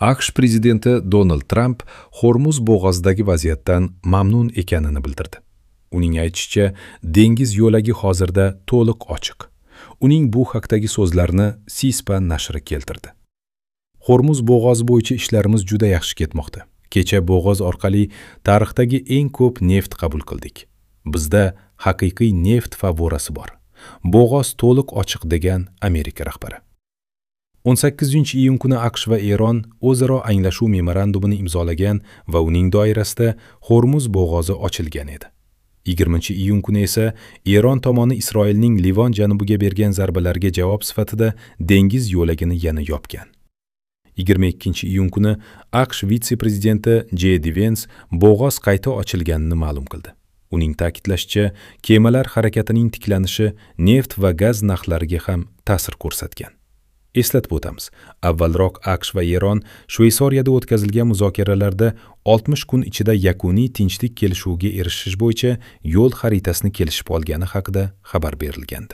AQSh prezidenti Donald Tramp Hormuz bo'g'ozidagi vaziyatdan mamnun ekanini bildirdi. Uning aytishicha, dengiz yo'lagi hozirda to'liq ochiq. Uning bu haqdagi so'zlarini C-SPAN nashri keltirdi. Hormuz bo'g'ozi bo'yicha ishlarimiz juda yaxshi ketmoqda. Kecha bo'g'oz orqali tarixdagi eng ko'p neft qabul qildik. Bizda haqiqiy neft favvorasi bor. Bo'g'oz to'liq ochiq, degan Amerika rahbari. 18-iyun kuni AQSh va Eron o'zaro anglashuv memorandumini imzolagan va uning doirasida Hormuz bo'g'ozi ochilgan edi. 20-iyun kuni esa Eron tomoni Isroilning Livon janubiga bergan zarbalarga javob sifatida dengiz yo'lagini yana yopgan. 22-iyun kuni AQSh vitse-prezidenti J. D. Vance bo'g'oz qayta ochilganini ma'lum qildi. Uning ta'kidlashicha, kemalar harakatining tiklanishi neft va gaz narxlariga ham ta'sir ko'rsatgan. Eslatib o'tamiz, avvalroq AQSh va Eron Shveysariyada o'tkazilgan muzokaralarda 60 kun ichida yakuniy tinchlik kelishuviga erishish bo'yicha yo'l xaritasini kelishib olgani haqida xabar berilgandi.